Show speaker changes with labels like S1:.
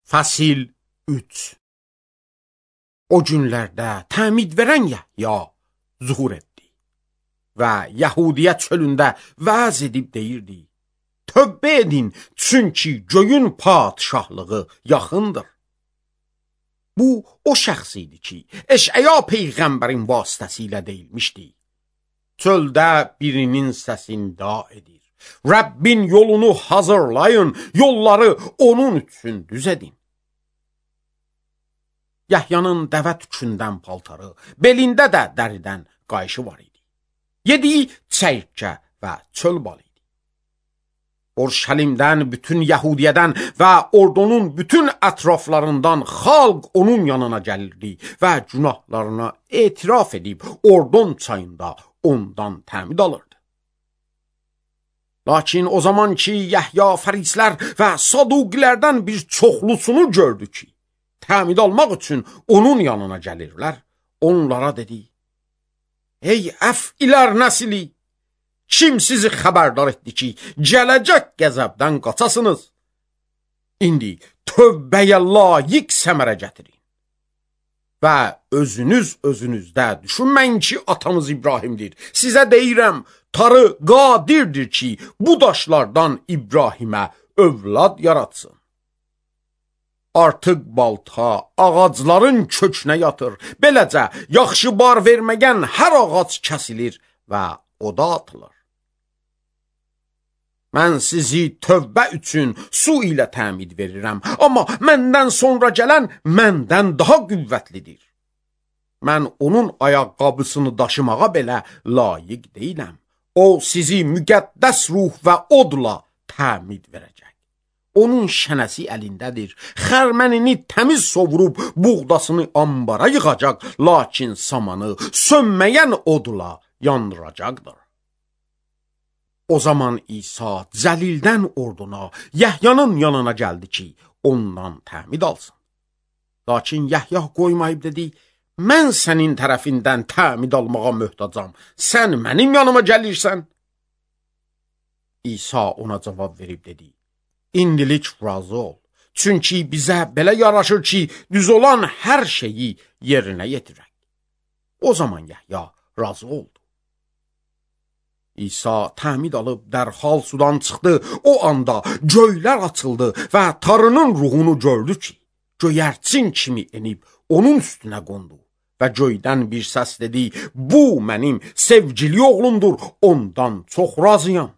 S1: Fəsil 3. O günlərdə təmid verən Yəhya zuhur etdi və Yəhudiyyət çölündə vəz edib deyirdi: Tövbə edin, çünki göyün padişahlığı yaxındır. Bu, o şəxs idi ki, Eşaya peyğəmbərin vasitəsilə deyilmişdi. Çöldə birinin səsini da edir. Rəbbin yolunu hazırlayın, yolları onun üçün düz edin. Yəhyanın dəvə tükündən paltarı, belində də dəridən qayışı var idi. Yediyi çəyirtkə və çöl balı idi. Orşəlimdən, bütün Yəhudiyədən və ordunun bütün ətraflarından xalq onun yanına gəlirdi və günahlarına etiraf edib Ordon çayında ondan təmid alırdı. Lakin o zaman ki, Yəhya fərislər və saduqilərdən bir çoxlusunu gördü ki, təmid almaq üçün onun yanına gəlirlər, onlara dedi: Ey əfilər nəsli, kim sizi xəbərdar etdi ki, gələcək qəzəbdən qaçasınız? İndi tövbəyə layiq səmərə gətirin. Və özünüzdə düşünməyin ki, atamız İbrahimdir. Sizə deyirəm, Tanrı qadirdir ki, bu daşlardan İbrahimə övlad yaratsın. Artıq balta ağacların kökünə yatır. Beləcə, yaxşı bar verməyən hər ağac kəsilir və oda atılır. Mən sizi tövbə üçün su ilə təmid verirəm, amma məndən sonra gələn məndən daha qüvvətlidir. Mən onun ayaqqabısını daşımağa belə layiq deyiləm. O sizi müqəddəs ruh və odla təmid verəcək. Onun şənəsi əlindədir. Xərmənini təmiz sovurub buğdasını ambara yığacaq, lakin samanı sönməyən odla yandıracaqdır. O zaman İsa Cəlildən orduna, Yəhyanın yanına gəldi ki, ondan təmid alsın. Lakin Yəhya qoymayıb dedi: Mən sənin tərəfindən təmid almağa möhtacam, sən mənim yanıma gəlirsən. İsa ona cavab verib dedi: İndilik razı ol, çünki bizə belə yaraşır ki, düz olan hər şeyi yerinə yetirək. O zaman Yəhya razı oldu. İsa təmid alıb dərhal sudan çıxdı. O anda göylər açıldı və Tanrının ruhunu gördü ki, göyərçin kimi enib onun üstünə qondu. Və göydən bir səs dedi: Bu mənim sevgili oğlumdur, ondan çox razıyam.